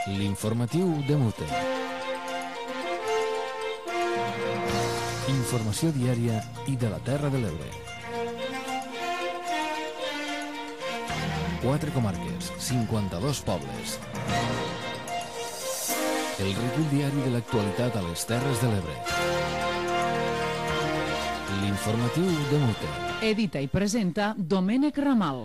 L'informatiu de Mute. Informació diària i de la Terra de l'Ebre. 4 comarques, 52 pobles. El recull diari de l'actualitat a les Terres de l'Ebre. L'informatiu de Mute. Edita i presenta Domènec Ramal.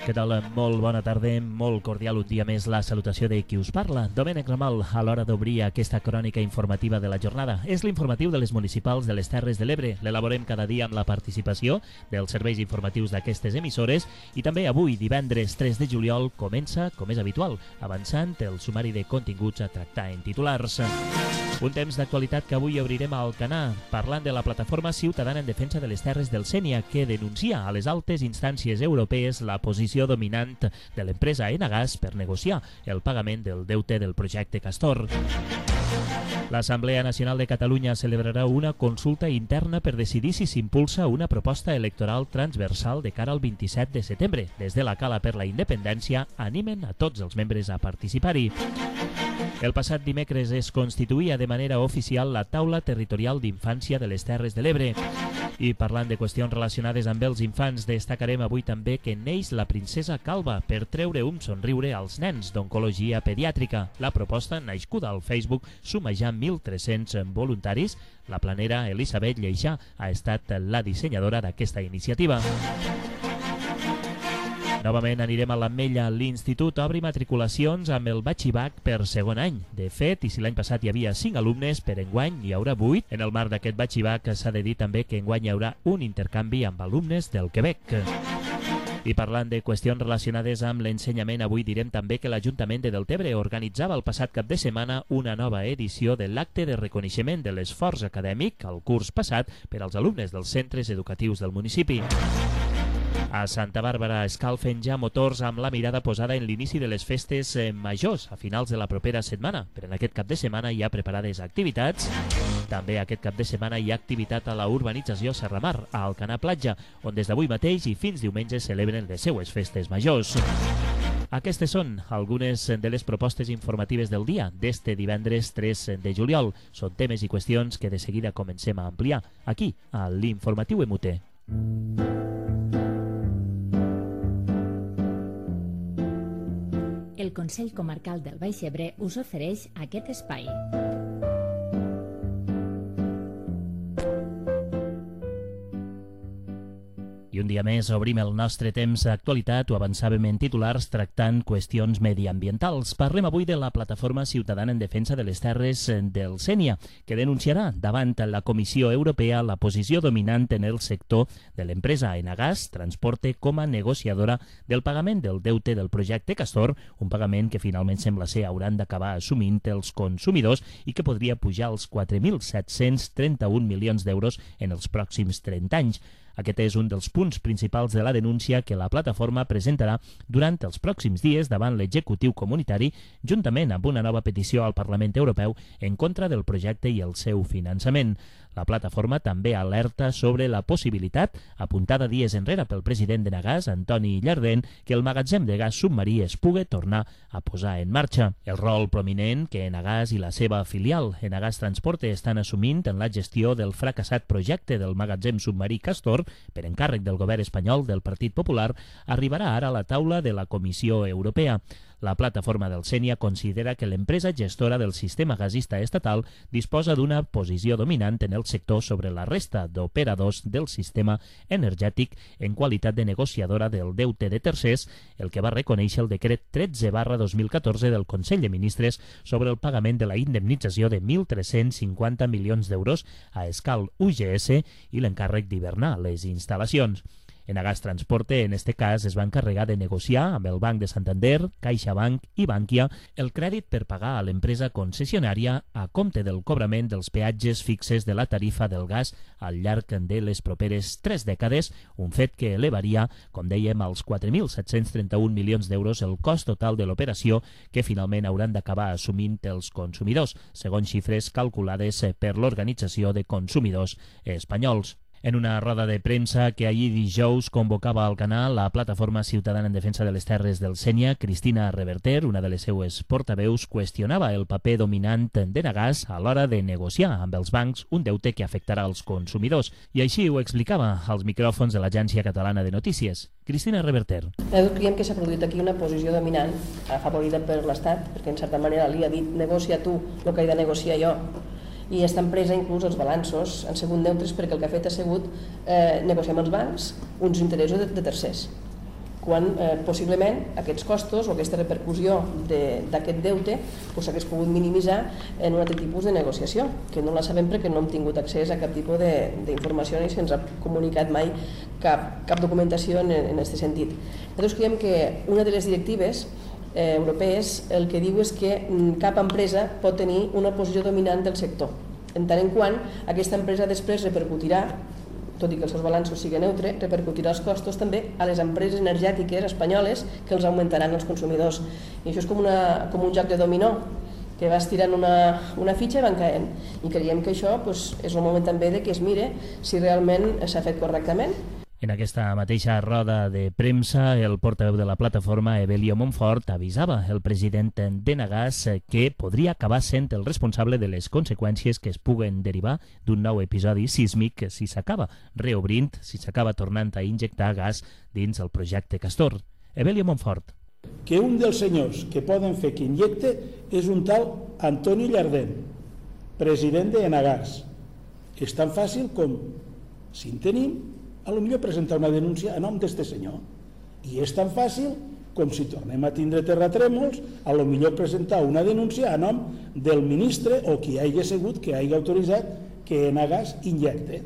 Què tal? Molt bona tarda, molt cordial un dia més la salutació de qui us parla. Domènec Ramal, a l'hora d'obrir aquesta crònica informativa de la jornada. És l'informatiu de les municipals de les Terres de l'Ebre. L'elaborem cada dia amb la participació dels serveis informatius d'aquestes emissores i també avui, divendres 3 de juliol, comença, com és habitual, avançant el sumari de continguts a tractar en titulars. Un temps d'actualitat que avui obrirem a Alcanar, parlant de la plataforma ciutadana en defensa de les Terres del Sénia, que denuncia a les altes instàncies europees la posició dominant de l'empresa Enagás per negociar el pagament del deute del projecte Castor. L'Assemblea Nacional de Catalunya celebrarà una consulta interna per decidir si s'impulsa una proposta electoral transversal de cara al 27 de setembre. Des de la Cala per la Independència animen a tots els membres a participar-hi. El passat dimecres es constituïa de manera oficial la Taula Territorial d'Infància de les Terres de l'Ebre. I parlant de qüestions relacionades amb els infants, destacarem avui també que neix la princesa Calva per treure un somriure als nens d'oncologia pediàtrica. La proposta, naixcuda al Facebook, suma ja 1.300 voluntaris. La planera Elisabet Lleixà ha estat la dissenyadora d'aquesta iniciativa. Novament anirem a l'Ametlla. L'Institut obre matriculacions amb el batxibac per segon any. De fet, i si l'any passat hi havia 5 alumnes, per enguany hi haurà 8. En el marc d'aquest batxibac s'ha de dir també que enguany hi haurà un intercanvi amb alumnes del Quebec. I parlant de qüestions relacionades amb l'ensenyament, avui direm també que l'Ajuntament de Deltebre organitzava el passat cap de setmana una nova edició de l'acte de reconeixement de l'esforç acadèmic al curs passat per als alumnes dels centres educatius del municipi. A Santa Bàrbara escalfen ja motors amb la mirada posada en l'inici de les festes majors a finals de la propera setmana. Però en aquest cap de setmana hi ha preparades activitats. També aquest cap de setmana hi ha activitat a la urbanització Serramar, a Alcanar Platja, on des d'avui mateix i fins diumenge celebren les seues festes majors. Aquestes són algunes de les propostes informatives del dia d'este divendres 3 de juliol. Són temes i qüestions que de seguida comencem a ampliar aquí, a l'Informatiu MUT. El Consell Comarcal del Baix Ebre us ofereix aquest espai. I un dia més obrim el nostre temps d'actualitat, ho avançàvem en titulars tractant qüestions mediambientals. Parlem avui de la Plataforma Ciutadana en Defensa de les Terres del Sénia, que denunciarà davant la Comissió Europea la posició dominant en el sector de l'empresa Enagás Transporte com a negociadora del pagament del deute del projecte Castor, un pagament que finalment sembla ser hauran d'acabar assumint els consumidors i que podria pujar als 4.731 milions d'euros en els pròxims 30 anys. Aquest és un dels punts principals de la denúncia que la plataforma presentarà durant els pròxims dies davant l'executiu comunitari, juntament amb una nova petició al Parlament Europeu en contra del projecte i el seu finançament. La plataforma també alerta sobre la possibilitat, apuntada dies enrere pel president d'Enagás, Antoni Llardén, que el magatzem de gas submarí es pugui tornar a posar en marxa. El rol prominent que Enagás i la seva filial, Enagás Transporte, estan assumint en la gestió del fracassat projecte del magatzem submarí Castor, per encàrrec del govern espanyol del Partit Popular, arribarà ara a la taula de la Comissió Europea. La plataforma del Sénia considera que l'empresa gestora del sistema gasista estatal disposa d'una posició dominant en el sector sobre la resta d'operadors del sistema energètic en qualitat de negociadora del deute de tercers, el que va reconèixer el decret 13/2014 del Consell de Ministres sobre el pagament de la indemnització de 1.350 milions d'euros a Escal UGS i l'encàrrec d'hivernar les instal·lacions. Enagás Transporte, en este cas, es va encarregar de negociar amb el Banc de Santander, CaixaBank i Bankia el crèdit per pagar a l'empresa concessionària a compte del cobrament dels peatges fixes de la tarifa del gas al llarg de les properes 3 dècades, un fet que elevaria, com dèiem, als 4.731 milions d'euros el cost total de l'operació que finalment hauran d'acabar assumint els consumidors, segons xifres calculades per l'Organització de Consumidors Espanyols. En una roda de premsa que ahir dijous convocava al canal la Plataforma Ciutadana en Defensa de les Terres del Sénia, Cristina Reverter, una de les seues portaveus, qüestionava el paper dominant d'Enagás a l'hora de negociar amb els bancs un deute que afectarà els consumidors. I així ho explicava als micròfons de l'Agència Catalana de Notícies. Cristina Reverter. Nosaltres creiem que s'ha produït aquí una posició dominant afavorida per l'Estat, perquè en certa manera li ha dit negocia tu el que he de negociar jo. I aquesta empresa, inclús els balanços, han sigut neutres perquè el que ha fet ha sigut negociar amb els bancs uns interessos de tercers, quan possiblement aquests costos o aquesta repercussió d'aquest deute s'hagués pogut minimitzar en un altre tipus de negociació, que no la sabem perquè no hem tingut accés a cap tipus d'informació ni se'ns ha comunicat mai cap documentació en aquest sentit. Nosaltres creiem que una de les directives europees el que diu és que cap empresa pot tenir una posició dominant del sector, en tant en quant aquesta empresa després repercutirà, tot i que els seus balanços siguin neutres, repercutirà els costos també a les empreses energètiques espanyoles que els augmentaran els consumidors. I això és com un joc de dominó, que va estirant una fitxa i van caent. I creiem que això és el moment també de que es mire si realment s'ha fet correctament. En aquesta mateixa roda de premsa, el portaveu de la plataforma, Evelio Montfort, avisava el president d'Enagás que podria acabar sent el responsable de les conseqüències que es puguen derivar d'un nou episodi sísmic si s'acaba reobrint, si s'acaba tornant a injectar gas dins el projecte Castor. Evelio Montfort. Que un dels senyors que poden fer que injecte és un tal Antonio Llardén, president d'Enagás. És tan fàcil com, si en tenim, a lo millor presentar una denúncia a nom d'este senyor. I és tan fàcil com si tornem a tindre terratrèmols, a lo millor presentar una denúncia a nom del ministre o qui hagi sigut que hagi autoritzat que Enagás injecte.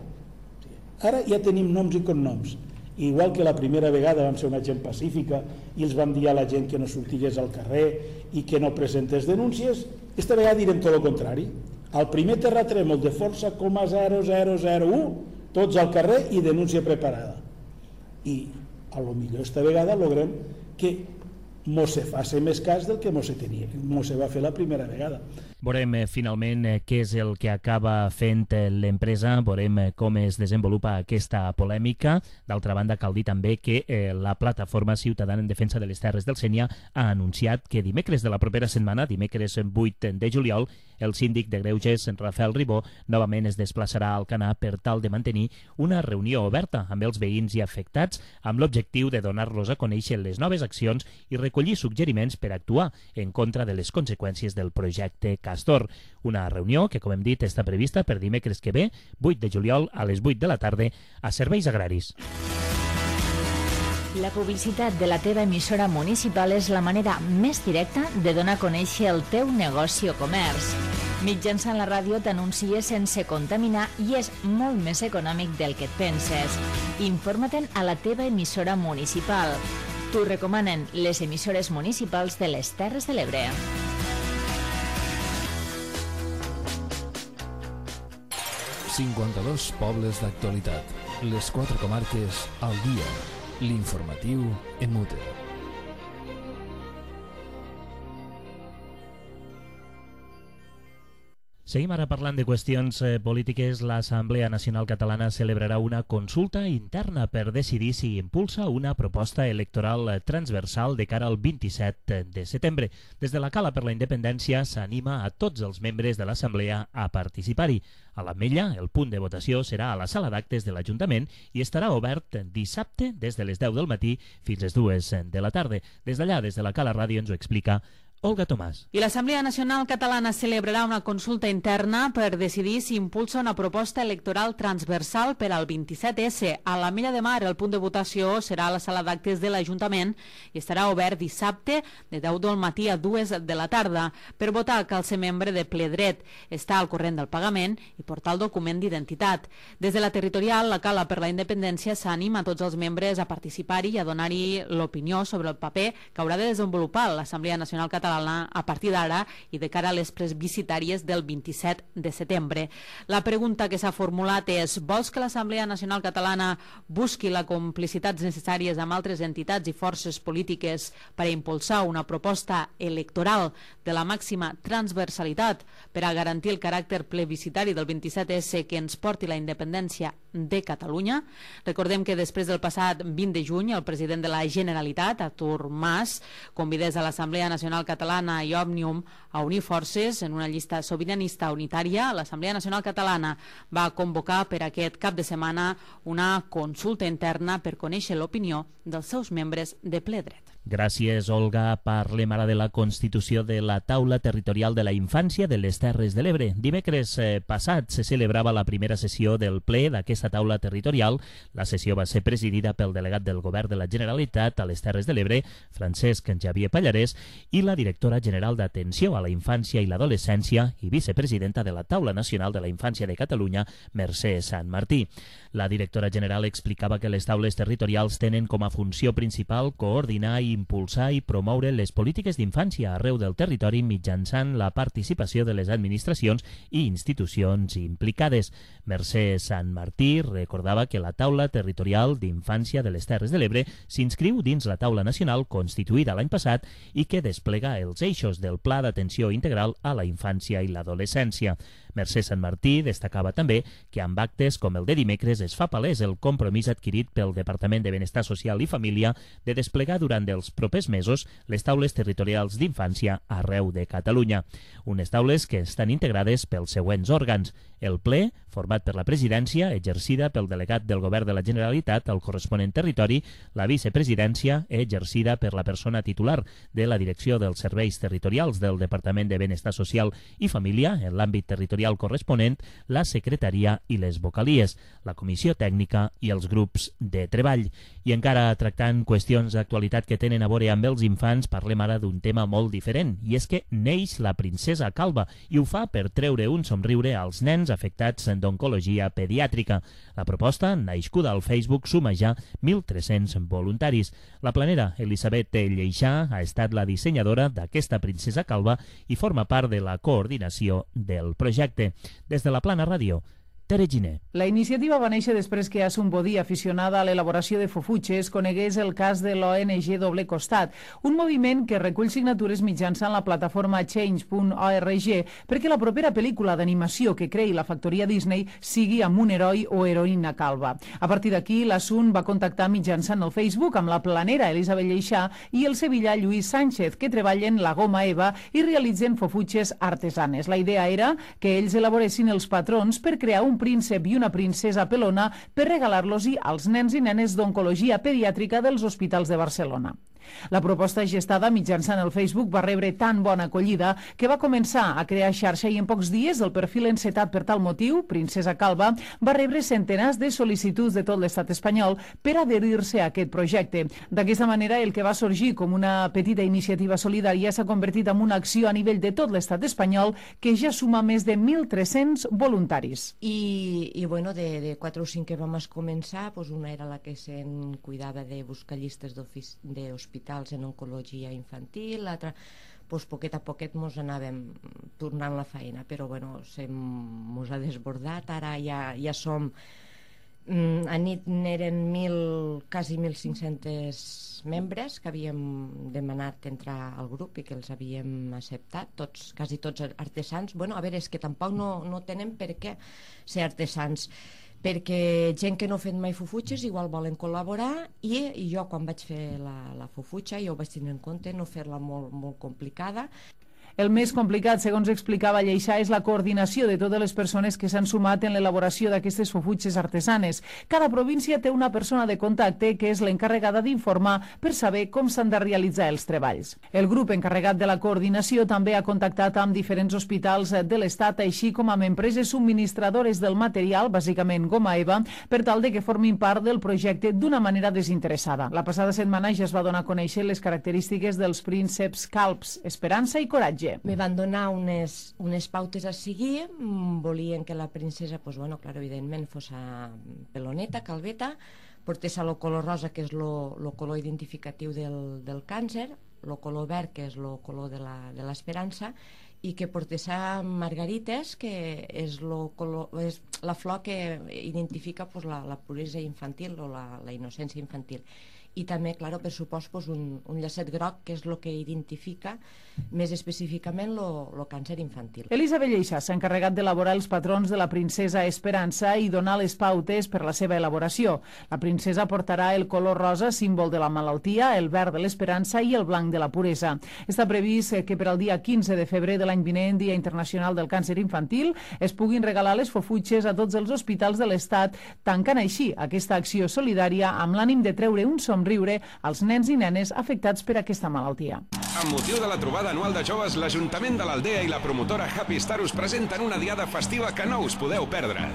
Ara ja tenim noms i cognoms. Igual que la primera vegada vam ser una gent pacífica i els vam dir a la gent que no sortigués al carrer i que no presentés denúncies, esta vegada direm tot el contrari. Al primer terratrèmol de força 0,0001 tots al carrer i denúncia preparada. I a lo millor esta vegada logrem que mos se faci més cas del que mos se va fer la primera vegada. Veurem finalment què és el que acaba fent l'empresa, veurem com es desenvolupa aquesta polèmica. D'altra banda, cal dir també que la Plataforma Ciutadana en Defensa de les Terres del Sénia ha anunciat que dimecres de la propera setmana, dimecres 8 de juliol, el síndic de Greuges, Rafael Ribó, novament es desplaçarà al Canà per tal de mantenir una reunió oberta amb els veïns i afectats amb l'objectiu de donar-los a conèixer les noves accions i recollir suggeriments per actuar en contra de les conseqüències del projecte Castor. Una reunió que, com hem dit, està prevista per dimecres que ve, 8 de juliol, a les 8 de la tarda, a Serveis Agraris. La publicitat de la teva emissora municipal és la manera més directa de donar a conèixer el teu negoci o comerç. Mitjançant la ràdio t'anuncies sense contaminar i és molt més econòmic del que et penses. Informa-te'n a la teva emissora municipal. T'ho recomanen les emissores municipals de les Terres de l'Ebre. ...52 pobles d'actualitat. Les 4 comarques al dia. L'informatiu en Mute. Seguim ara parlant de qüestions polítiques. L'Assemblea Nacional Catalana celebrarà una consulta interna per decidir si impulsa una proposta electoral transversal de cara al 27 de setembre. Des de la Cala per la Independència s'anima a tots els membres de l'Assemblea a participar-hi. A l'Ametlla, el punt de votació serà a la sala d'actes de l'Ajuntament i estarà obert dissabte des de les 10 del matí fins les 2 de la tarda. Des d'allà, des de la Cala Ràdio, ens ho explica Olga Tomàs. I l'Assemblea Nacional Catalana celebrarà una consulta interna per decidir si impulsa una proposta electoral transversal per al 27S. A l'Ametlla de Mar el punt de votació serà a la sala d'actes de l'Ajuntament i estarà obert dissabte de 10 del matí a 2 de la tarda. Per votar cal ser membre de ple dret, estar al corrent del pagament i portar el document d'identitat. Des de la territorial, la Cala per la Independència s'anima a tots els membres a participar-hi i a donar-hi l'opinió sobre el paper que haurà de desenvolupar l'Assemblea Nacional Catalana Catalana a partir d'ara i de cara a les plebiscitàries del 27 de setembre. La pregunta que s'ha formulat és: vols que l'Assemblea Nacional Catalana busqui les complicitats necessàries amb altres entitats i forces polítiques per a impulsar una proposta electoral de la màxima transversalitat per a garantir el caràcter plebiscitari del 27S que ens porti la independència de Catalunya? Recordem que després del passat 20 de juny el president de la Generalitat, Artur Mas, convidés a l'Assemblea Nacional Catalana i Òmnium a unir forces en una llista sobiranista unitària. L'Assemblea Nacional Catalana va convocar per aquest cap de setmana una consulta interna per conèixer l'opinió dels seus membres de ple dret. Gràcies, Olga. Parlem ara de la constitució de la Taula Territorial de la Infància de les Terres de l'Ebre. Dimecres passat se celebrava la primera sessió del ple d'aquesta taula territorial. La sessió va ser presidida pel delegat del Govern de la Generalitat a les Terres de l'Ebre, Francesc Xavier Pallarès, i la directora general d'Atenció a la Infància i l'Adolescència i vicepresidenta de la Taula Nacional de la Infància de Catalunya, Mercè Sant Martí. La directora general explicava que les taules territorials tenen com a funció principal coordinar i impulsar i promoure les polítiques d'infància arreu del territori mitjançant la participació de les administracions i institucions implicades. Mercè Sant Martí recordava que la Taula Territorial d'Infància de les Terres de l'Ebre s'inscriu dins la Taula Nacional constituïda l'any passat i que desplega els eixos del Pla d'Atenció Integral a la Infància i l'Adolescència. Mercè Sant Martí destacava també que amb actes com el de dimecres es fa palès el compromís adquirit pel Departament de Benestar Social i Família de desplegar durant els propers mesos les taules territorials d'infància arreu de Catalunya. Unes taules que estan integrades pels següents òrgans: el ple, format per la presidència, exercida pel delegat del Govern de la Generalitat al corresponent territori, la vicepresidència, exercida per la persona titular de la Direcció dels Serveis Territorials del Departament de Benestar Social i Família en l'àmbit territorial corresponent, la secretaria i les vocalies, la comissió tècnica i els grups de treball. I encara tractant qüestions d'actualitat que tenen a veure amb els infants, parlem ara d'un tema molt diferent, i és que neix la princesa calba, i ho fa per treure un somriure als nens afectats d'oncologia pediàtrica. La proposta, nascuda al Facebook, suma ja 1.300 voluntaris. La planera Elisabet Lleixà ha estat la dissenyadora d'aquesta princesa calba i forma part de la coordinació del projecte. Des de la Plana Ràdio, Tere Giner. La iniciativa va néixer després que Asun Bodí, aficionada a l'elaboració de fofutxes, conegués el cas de l'ONG Doble Costat, un moviment que recull signatures mitjançant la plataforma change.org perquè la propera pel·lícula d'animació que creï la factoria Disney sigui amb un heroi o heroïna calva. A partir d'aquí, l'Asun va contactar mitjançant el Facebook amb la planera Elisabet Lleixà i el sevillà Lluís Sánchez, que treballen la goma eva i realitzen fofutxes artesanes. La idea era que ells elaboressin els patrons per crear un príncep i una princesa pelona per regalar-los-hi als nens i nenes d'oncologia pediàtrica dels hospitals de Barcelona. La proposta gestada mitjançant el Facebook va rebre tan bona acollida que va començar a crear xarxa i en pocs dies el perfil encetat per tal motiu, Princesa Calva, va rebre centenars de sol·licituds de tot l'estat espanyol per adherir-se a aquest projecte. D'aquesta manera, el que va sorgir com una petita iniciativa solidària s'ha convertit en una acció a nivell de tot l'estat espanyol que ja suma més de 1.300 voluntaris. I bueno, de 4 o 5 que vam començar, doncs una era la que se'n cuidava de buscar llistes d'hospitals en oncologia infantil, l'altra, doncs poquet a poquet mos anàvem tornant la feina, però bueno, mos ha desbordat, ara ja som, a nit n'eren quasi 1.500 membres que havíem demanat entrar al grup i que els havíem acceptat, quasi tots artesans. Bueno, a veure, és que tampoc no tenen per què ser artesans, perquè gent que no ha fet mai fofutxes igual volen col·laborar i jo quan vaig fer la fofutxa jo vaig tenir en compte no fer-la molt complicada. El més complicat, segons explicava Lleixà, és la coordinació de totes les persones que s'han sumat en l'elaboració d'aquestes fofutxes artesanes. Cada província té una persona de contacte que és l'encarregada d'informar per saber com s'han de realitzar els treballs. El grup encarregat de la coordinació també ha contactat amb diferents hospitals de l'Estat, així com amb empreses subministradores del material, bàsicament goma eva, per tal de que formin part del projecte d'una manera desinteressada. La passada setmana ja es va donar a conèixer les característiques dels prínceps calbs, Esperança i Coratge. Me van donar unes pautes a seguir, volien que la princesa, pues bueno, claro, evidentment, fos peloneta, calveta, portés el color rosa, que és el color identificatiu del càncer, el color verd, que és el color de l'esperança, i que portessa margarites, que és la flor que identifica la puresa infantil o la innocència infantil. I també, clar, per supost, un llacet groc, que és el que identifica més específicament el càncer infantil. Elisa Belleixas s'ha encarregat d'elaborar els patrons de la princesa Esperança i donar les pautes per la seva elaboració. La princesa portarà el color rosa, símbol de la malaltia, el verd de l'esperança i el blanc de la puresa. Està previst que per al dia 15 de febrer de l'any vinent, Dia Internacional del Càncer Infantil, es puguin regalar les fofutxes a tots els hospitals de l'Estat, tancant així aquesta acció solidària amb l'ànim de treure un somriure als nens i nenes afectats per aquesta malaltia. Amb motiu de la trobada anual de joves, l'Ajuntament de l'Aldea i la promotora Happy Star us presenten una diada festiva que no us podeu perdre.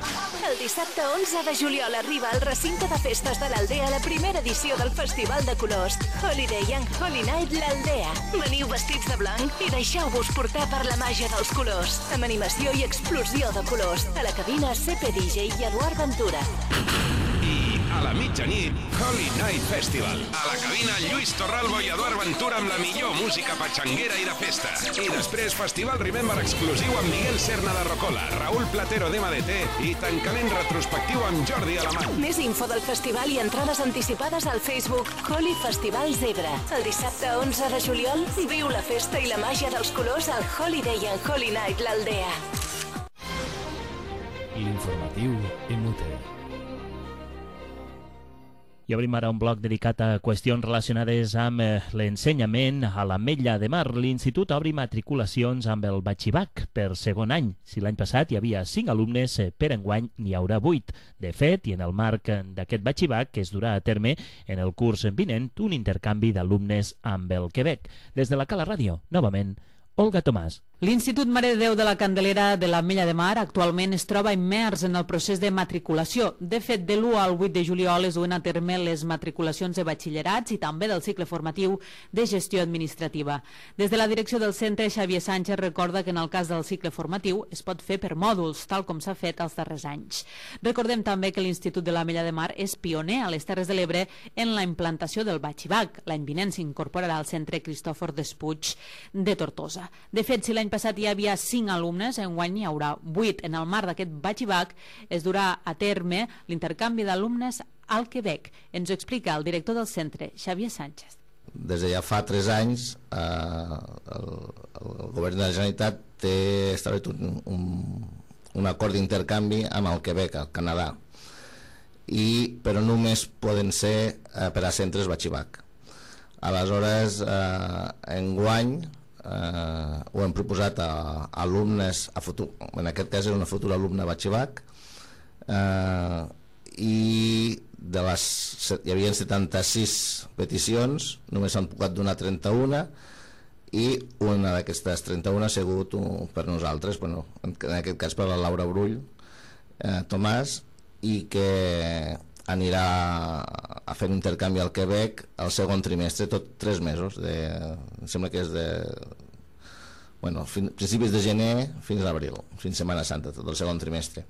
El dissabte 11 de juliol arriba al recinte de festes de l'Aldea la primera edició del Festival de Colors Holiday and Holy Night l'Aldea. Veniu vestits de blanc i deixeu-vos portar per la màgia dels colors, amb animació i explosió de colors. A la cabina CP DJ i Eduard Ventura. I a la mitjanit, Holy Night Festival. A la cabina, Lluís Torralbo i Eduard Ventura amb la millor música patxanguera i de festa. I després, Festival Remember exclusiu amb Miguel Serna de Rocola, Raúl Platero d'MDT i tancament retrospectiu amb Jordi Alamany. Més info del festival i entrades anticipades al Facebook Holy Festival Zebra. El dissabte 11 de juliol, viu la festa i la màgia dels colors al Holiday and Holy Night l'Aldea. L'informatiu MUT. I obrim ara un bloc dedicat a qüestions relacionades amb l'ensenyament a l'Ametlla de Mar. L'Institut obri matriculacions amb el batxibac per segon any. Si l'any passat hi havia 5 alumnes, per enguany n'hi haurà 8. De fet, i en el marc d'aquest batxibac, que es durà a terme en el curs vinent, un intercanvi d'alumnes amb el Quebec. Des de la Cala Ràdio, novament, Olga Tomàs. L'Institut Mare de Déu de la Candelera de l'Ametlla de Mar actualment es troba immers en el procés de matriculació. De fet, de l'1 al 8 de juliol es duen a terme les matriculacions de batxillerats i també del cicle formatiu de gestió administrativa. Des de la direcció del centre, Xavier Sánchez recorda que en el cas del cicle formatiu es pot fer per mòduls, tal com s'ha fet els darrers anys. Recordem també que l'Institut de l'Ametlla de Mar és pioner a les Terres de l'Ebre en la implantació del batxibac. L'any vinent s'incorporarà al centre Cristòfor Despuig de Tortosa. De fet, si l'any passat hi havia 5 alumnes, enguany n'hi haurà 8. En el marc d'aquest batxibac es durà a terme l'intercanvi d'alumnes al Quebec. Ens ho explica el director del centre, Xavier Sánchez. Des de ja fa 3 anys el govern de la Generalitat té establert un acord d'intercanvi amb el Quebec, al Canadà, però només poden ser per a centres batxibac. Aleshores, enguany ho hem proposat a alumnes, en aquest cas és una futura alumna batxibac, i hi havia 76 peticions, només s'han pogut donar 31, i una d'aquestes 31 ha sigut per nosaltres, en aquest cas per la Laura Brull Tomàs, i que anirà a fer un intercanvi al Quebec al segon trimestre, tot 3 mesos, em sembla que és principis de gener fins a abril, fins Setmana Santa, tot el segon trimestre.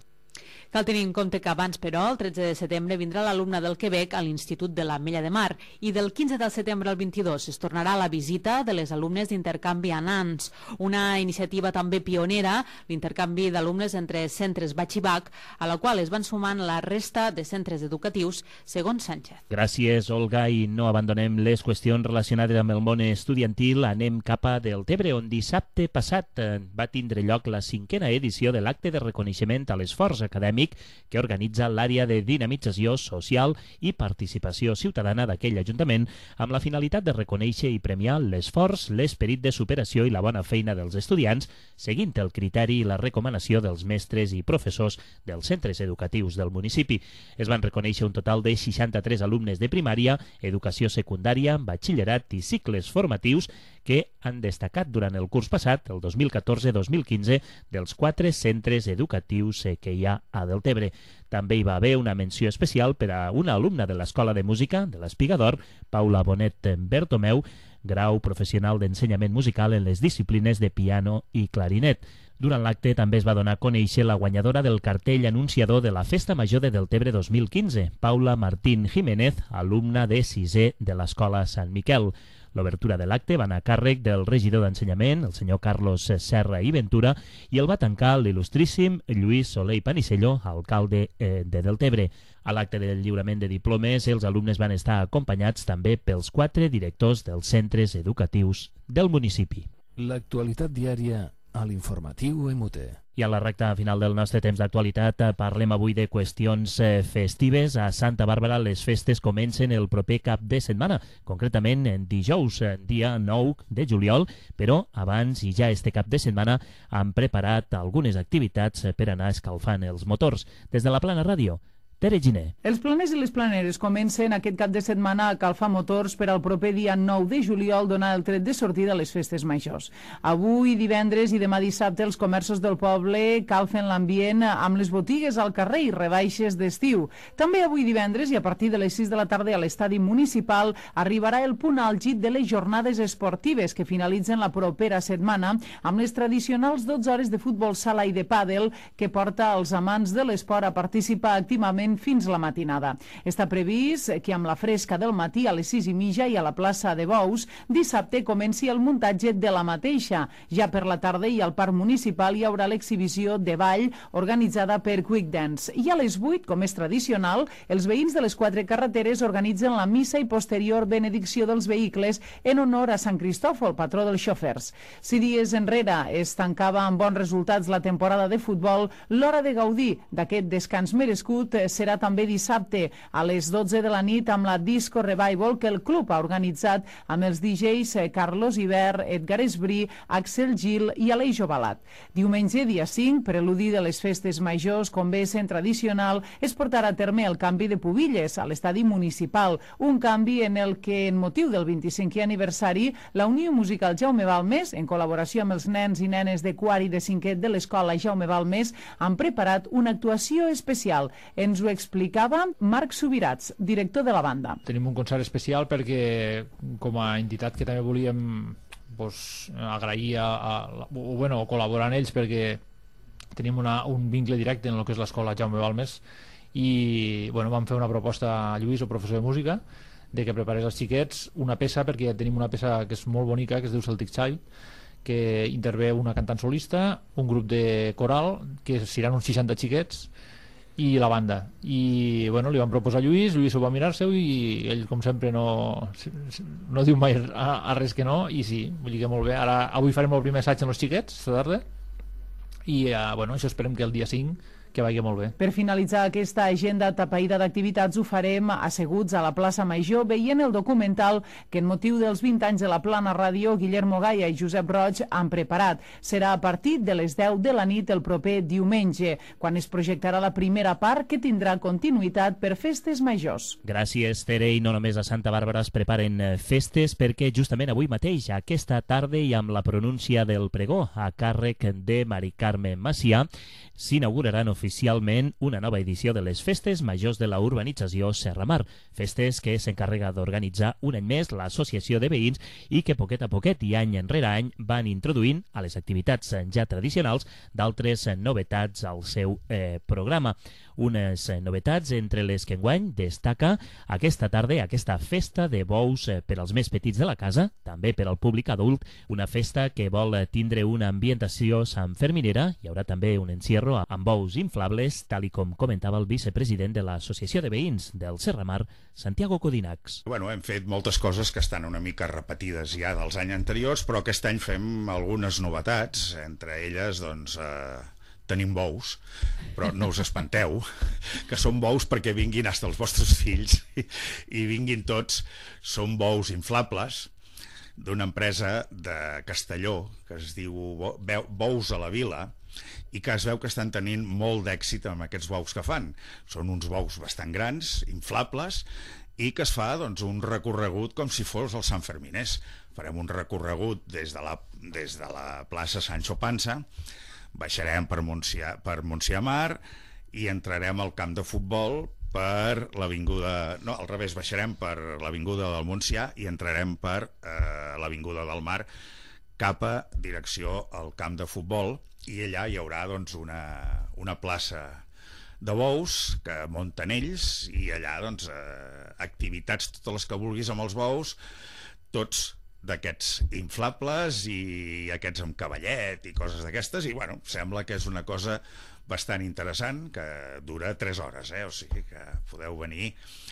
Cal tenir en compte que abans, però, el 13 de setembre vindrà l'alumne del Quebec a l'Institut de l'Ametlla de Mar i del 15 de setembre al 22 es tornarà la visita de les alumnes d'intercanvi a Nans, una iniciativa també pionera, l'intercanvi d'alumnes entre centres batxibac, a la qual es van sumant la resta de centres educatius, segons Sánchez. Gràcies, Olga, i no abandonem les qüestions relacionades amb el món estudiantil. Anem cap a Deltebre, on dissabte passat va tindre lloc la 5a edició de l'acte de reconeixement a l'esforç acadèmic que organitza l'àrea de dinamització social i participació ciutadana d'aquell Ajuntament amb la finalitat de reconèixer i premiar l'esforç, l'esperit de superació i la bona feina dels estudiants, seguint el criteri i la recomanació dels mestres i professors dels centres educatius del municipi. Es van reconèixer un total de 63 alumnes de primària, educació secundària, batxillerat i cicles formatius que han destacat durant el curs passat, el 2014-2015, dels 4 centres educatius que hi ha a Deltebre. També hi va haver una menció especial per a una alumna de l'Escola de Música de l'Espigador, Paula Bonet Bertomeu, grau professional d'ensenyament musical en les disciplines de piano i clarinet. Durant l'acte també es va donar a conèixer la guanyadora del cartell anunciador de la Festa Major de Deltebre 2015, Paula Martín Jiménez, alumna de 6è de l'Escola Sant Miquel. L'obertura de l'acte va anar a càrrec del regidor d'Ensenyament, el senyor Carlos Serra i Ventura, i el va tancar l'il·lustríssim Lluís Soler i Panicello, alcalde de Deltebre. A l'acte del lliurament de diplomes, els alumnes van estar acompanyats també pels 4 directors dels centres educatius del municipi. L'actualitat diària a l'informatiu MUT. I a la recta final del nostre temps d'actualitat parlem avui de qüestions festives. A Santa Bàrbara les festes comencen el proper cap de setmana, concretament dijous, dia 9 de juliol, però abans i ja este cap de setmana han preparat algunes activitats per anar escalfant els motors. Des de la Plana Ràdio, Tere Giner. Els planers i les planeres comencen aquest cap de setmana a calfar motors per al proper dia 9 de juliol, donar el tret de sortida a les festes majors. Avui, divendres i demà dissabte, els comerços del poble calfen l'ambient amb les botigues al carrer i rebaixes d'estiu. També avui divendres i a partir de les 6 de la tarda a l'estadi municipal arribarà el punt àlgid de les jornades esportives que finalitzen la propera setmana amb les tradicionals 12 hores de futbol sala i de pàdel que porta els amants de l'esport a participar activament fins la matinada. Està previst que amb la fresca del matí a les 6:30 i a la plaça de Bous dissabte comenci el muntatge de la mateixa. Ja per la tarda i al parc municipal hi haurà l'exhibició de ball organitzada per Quick Dance. I a les 8, com és tradicional, els veïns de les 4 carreteres organitzen la missa i posterior benedicció dels vehicles en honor a Sant Cristòfol, patró dels xofers. Si dies enrere es tancava amb bons resultats la temporada de futbol, l'hora de gaudir d'aquest descans merescut serà també dissabte a les 12 de la nit amb la Disco Revival que el club ha organitzat amb els DJs Carlos Iber, Edgar Esbrí, Axel Gil i Aleix Ovalat. Diumenge, dia 5, preludi de les festes majors, com bé sent tradicional, es portarà a terme el canvi de pubilles a l'estadi municipal, un canvi en el que, en motiu del 25è aniversari, la Unió Musical Jaume Balmes, en col·laboració amb els nens i nenes de quart i de cinquè de l'escola Jaume Balmes, han preparat una actuació especial. Ens ho explicava Marc Subirats, director de la banda. Tenim un concert especial perquè, com a entitat que també volíem agrair o col·laborar amb ells perquè tenim un vincle directe en el que és l'escola Jaume Balmes i vam fer una proposta a Lluís, el professor de música, de que preparés als xiquets una peça, perquè tenim una peça que és molt bonica, que es diu Celtic Child, que intervé una cantant solista, un grup de coral, que seran uns 60 xiquets, i la banda. I li van proposar a Lluís ho va mirar-se i ell, com sempre, no diu mai a res que no, i sí, vull dir que molt bé. Avui farem el primer assaig amb els xiquets, esta tarda, i això esperem que el dia 5 que vagi molt bé. Per finalitzar aquesta agenda tapaïda d'activitats ho farem asseguts a la plaça Major veient el documental que en motiu dels 20 anys de la Plana Ràdio Guillermo Gaia i Josep Roig han preparat. Serà a partir de les 10 de la nit el proper diumenge, quan es projectarà la primera part que tindrà continuïtat per festes majors. Gràcies, Tere. I no només a Santa Bàrbara es preparen festes, perquè justament avui mateix, aquesta tarda i amb la pronúncia del pregó a càrrec de Mari Carme Macià, s'inauguraran oficialment una nova edició de les Festes Majors de la urbanització Serramar, festes que s'encarrega d'organitzar un any més l'Associació de Veïns i que poquet a poquet i any enrere any van introduint a les activitats ja tradicionals d'altres novetats al seu programa. Unes novetats entre les que enguany destaca aquesta tarda aquesta festa de bous per als més petits de la casa, també per al públic adult, una festa que vol tindre una ambientació santferminera. Hi haurà també un encierro amb bous inflables, tal i com comentava el vicepresident de l'Associació de Veïns del Serramar, Santiago Codinacs. Hem fet moltes coses que estan una mica repetides ja dels anys anteriors, però aquest any fem algunes novetats, entre elles, tenim bous, però no us espanteu, que són bous perquè vinguin fins els vostres fills i vinguin tots. Són bous inflables d'una empresa de Castelló que es diu Bous a la Vila i que es veu que estan tenint molt d'èxit amb aquests bous que fan. Són uns bous bastant grans, inflables, i que es fa un recorregut com si fos el Sant Ferminers. Farem un recorregut des de la plaça Sancho Panza, baixarem per Montsià i entrarem al camp de futbol per l'avinguda... No, al revés, baixarem per l'avinguda del Montsià i entrarem per l'avinguda del Mar cap a direcció al camp de futbol, i allà hi haurà una plaça de bous que munten ells, i allà activitats totes les que vulguis amb els bous, tots d'aquests inflables i aquests amb cavallet i coses d'aquestes, i bueno, sembla que és una cosa bastant interessant, que dura 3 hores, o sigui que podeu venir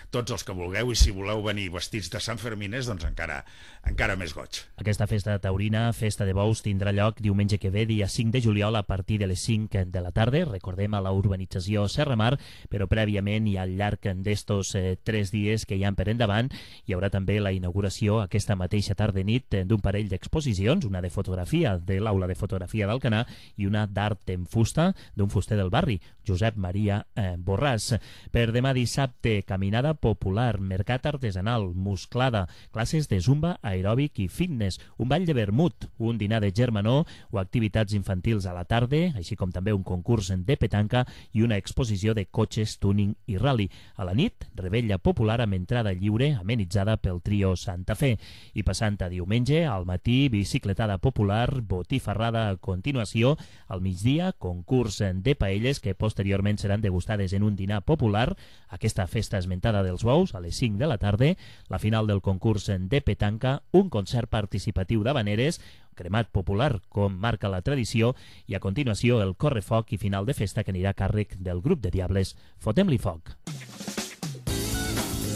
tots els que vulgueu, i si voleu venir vestits de Sant Fermines, doncs encara més goig. Aquesta festa taurina, Festa de Bous, tindrà lloc diumenge que ve, dia 5 de juliol, a partir de les 5 de la tarda, recordem, a la urbanització Serramar, però prèviament i al llarg d'estos 3 dies que hi ha per endavant, hi haurà també la inauguració aquesta mateixa tarda-nit d'un parell d'exposicions, una de fotografia de l'Aula de Fotografia d'Alcanar i una d'art en fusta d'un fuster del barri, Josep Maria Borràs. Per demà dissabte, caminada popular, mercat artesanal, musclada, classes de zumba, aeròbic i fitness, un ball de vermut, un dinar de germanor o activitats infantils a la tarda, així com també un concurs de petanca i una exposició de cotxes, tuning i rally. A la nit, revetlla popular amb entrada lliure amenitzada pel trio Santa Fe. I passant a diumenge, al matí, bicicletada popular, botifarrada a continuació, al migdia, concurs de paelles que posteriorment seran degustades en un dinar popular, aquesta festa esmentada dels bous a les 5 de la tarda, la final del concurs de petanca, un concert participatiu d'habaneres, cremat popular com marca la tradició, i a continuació el correfoc i final de festa que anirà a càrrec del grup de Diables. Fotem-li foc!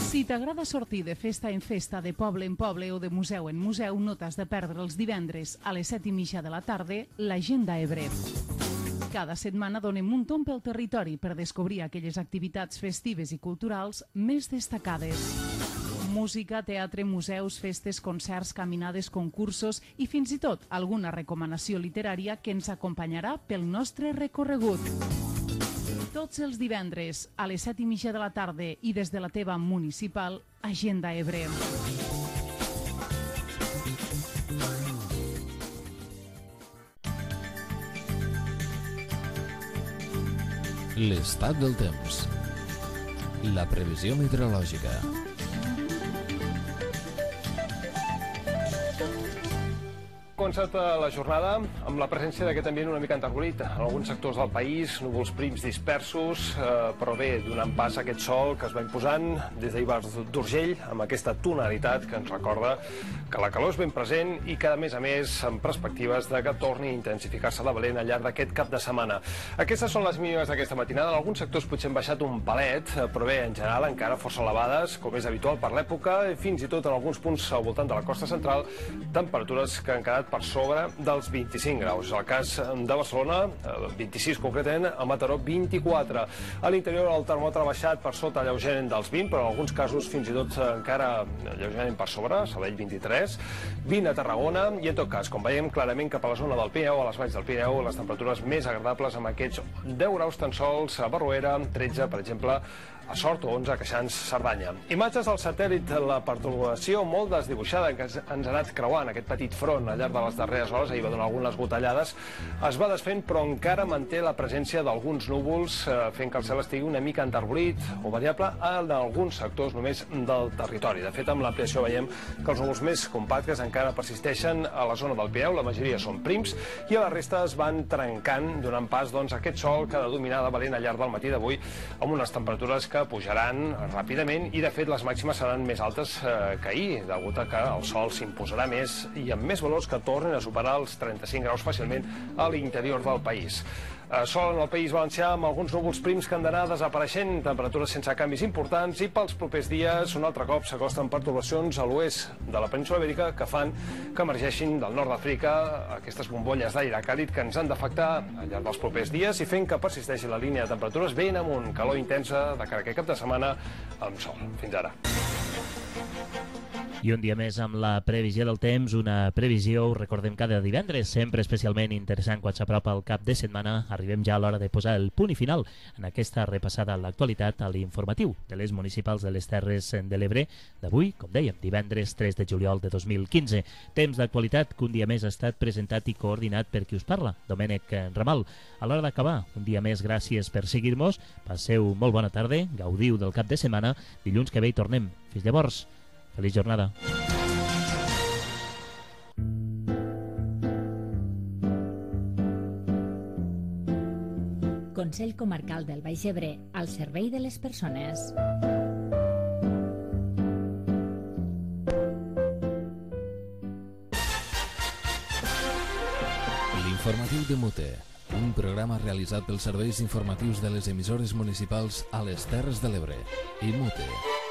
Si t'agrada sortir de festa en festa, de poble en poble o de museu en museu, no t'has de perdre els divendres a les 7:30 de la tarda l'Agenda Ebre. Cada setmana donem un tomb pel territori per descobrir aquelles activitats festives i culturals més destacades. Música, teatre, museus, festes, concerts, caminades, concursos i fins i tot alguna recomanació literària que ens acompanyarà pel nostre recorregut. Tots els divendres a les 7:30 de la tarda i des de la teva municipal, Agenda Ebre. L'estat del temps. La previsió meteorològica. Començat la jornada amb la presència d'aquest ambient una mica enterbolit. En alguns sectors del país, núvols prims dispersos, però bé, donant pas a aquest sol que es va imposant des d'Ivars d'Urgell, amb aquesta tonalitat que ens recorda que la calor és ben present i que, a més, amb perspectives de que torni a intensificar-se la valent al llarg d'aquest cap de setmana. Aquestes són les mínimes d'aquesta matinada. En alguns sectors potser han baixat un palet, però bé, en general encara força elevades, com és habitual per l'època, fins i tot en alguns punts al voltant de la costa central, temperatures que han quedat per sobre dels 25 graus. El cas de Barcelona, 26 concretament, a Mataró 24. A l'interior el termòmetre ha baixat per sota lleugerament dels 20, però en alguns casos fins i tot encara lleugerament per sobre, Sabadell 23, 20 a Tarragona, i en tot cas, com veiem clarament cap a la zona del Pirineu, a les valls del Pirineu, les temperatures més agradables amb aquests 10 graus tan sols a Barruera, 13, per exemple, a Sort o 11 a Queixans, Cerdanya. Imatges del satèl·lit, la pertorbació molt desdibuixada que ens ha anat creuant aquest petit front al llarg de les darreres hores, ahir va donar algunes gotellades, es va desfent però encara manté la presència d'alguns núvols, fent que el cel estigui una mica enterbolit o variable en alguns sectors només del territori. De fet, amb l'ampliació veiem que els núvols més compactes encara persisteixen a la zona del Pirineu, la majoria són prims, i a la resta es van trencant, donant pas a aquest sol que ha de dominar de valent al llarg del matí d'avui, amb unes temperatures que pujaran ràpidament i, de fet, les màximes seran més altes que ahir, degut a que el sol s'imposarà més i amb més valors que tornen a superar els 35 graus fàcilment a l'interior del país. Sol en el País Valencià amb alguns núvols prims que han d'anar desapareixent, temperatures sense canvis importants, i pels propers dies un altre cop s'acosten pertorbacions a l'oest de la península Ibèrica que fan que emergeixin del nord d'Àfrica aquestes bombolles d'aire càlid que ens han d'afectar al llarg dels propers dies i fent que persisteixi la línia de temperatures ben amunt, calor intensa de cara a aquest cap de setmana amb sol. Fins ara. I un dia més amb la previsió del temps, una previsió, ho recordem, cada divendres, sempre especialment interessant quan s'apropa el cap de setmana. Arribem ja a l'hora de posar el punt i final en aquesta repassada a l'actualitat a l'informatiu de les municipals de les Terres de l'Ebre d'avui, com dèiem, divendres 3 de juliol de 2015. Temps d'actualitat que un dia més ha estat presentat i coordinat per qui us parla, Domènec Ramal. A l'hora d'acabar, un dia més, gràcies per seguir-nos, passeu molt bona tarda, gaudiu del cap de setmana, dilluns que ve hi tornem. Fins llavors, feliç jornada. Consell Comarcal del Baix Ebre, al servei de les persones. L'informatiu de Mute, un programa realitzat pels serveis informatius de les emissores municipals a les Terres de l'Ebre i Mute.